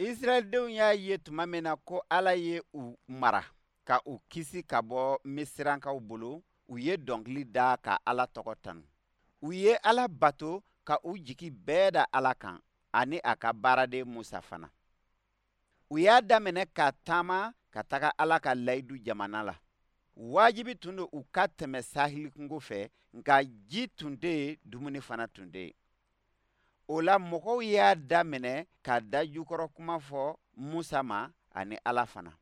Israɛldenw y'a ye tuma min na ko Ala ye u mara ka u kisi ka bɔ Misirankaw bolo, u ye dɔnkili da ka Ala tɔgɔ tanu. U ye Ala bato ka u jigi bɛɛ da Ala kan ani a ka baaraden Musa fana. U y'a daminɛ ka taama ka taga Ala ka layidu jamana la. Wajibi tun don u ka tɛmɛ sahili kungo fɛ, nka ji tun tɛ yen, dumuni fana tun tɛ yen. O la mɔgɔw y'a daminɛ ka dajukɔrɔ kuma fɔ Musa ma ani Ala fana.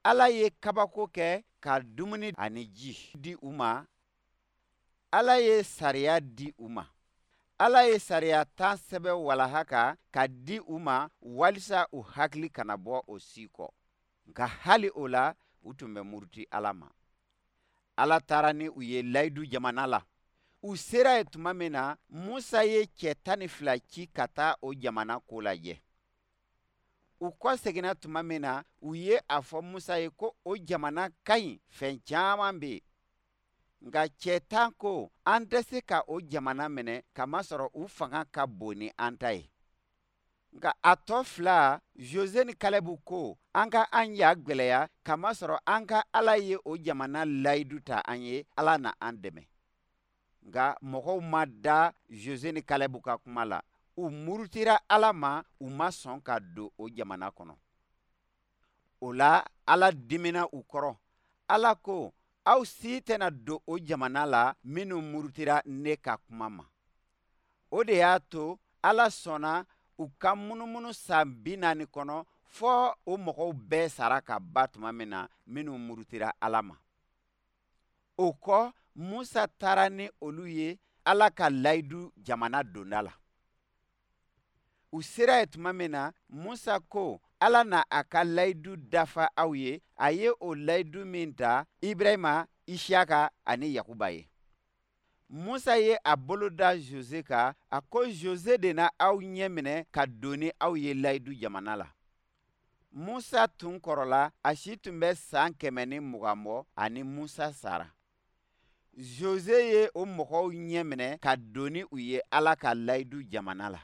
Ala ye kabako kɛ ka dumuni ani ji di u ma. Ala ye sariya di u ma. Ala ye sariya tan sɛbɛn walaha kan ka di u ma walisa u hakili kana bɔ o si kɔ. Nka hali o la, u tun bɛ muruti Ala ma. Ala taara ni u ye layidu jamana la. U sera yen tuma min na, Musa ye cɛ 12 ci ka taa o jamana ko lajɛ. U kɔseginna tuma min na, u ye a fɔ Musa ye ko o jamana ka ɲi, fɛn caman bɛ yen. Nka cɛ 10 ko, an tɛ se ka o jamana minɛ kamasɔrɔ u fanga ka bon ni an ta ye. Nka a tɔ fila, Jose ni Kalɛbu ko, an ka an ja gwɛlɛya kamasɔrɔ an ka Ala ye o jamana layidu ta an ye, Ala na an dɛmɛ. Nka mɔgɔw ma da Jose ni Kalɛbu ka kuma la. U murutira Ala ma, u ma sɔn ka don o jamana kɔnɔ. O la, Ala dimina u kɔrɔ. Ala ko, aw si tɛna don o jamana la minnu murutira ne ka kuma ma. O de y'a to Ala sɔnna u ka munumunu san 40 kɔnɔ fɔ o mɔgɔw bɛɛ sara ka ban tuma min na minnu murutira Ala ma. O kɔ, Musa taara ni olu ye Ala ka layidu jamana donda la. U sera yen tuma min na, Musa ko, Ala na a ka layidu dafa aw ye, a ye o layidu min ta Ibrahima, Isiyaka ani Yakuba ye. Musa ye a bolo da Jose kan, a ko Jose de na aw ɲɛ minɛ ka don ni aw ye layidu jamana la. Musa tun kɔrɔla, a si tun bɛ san 120 bɔ ani Musa sara. Jose ye o mɔgɔw ɲɛ minɛ ka don ni u ye Ala ka layidu jamana la.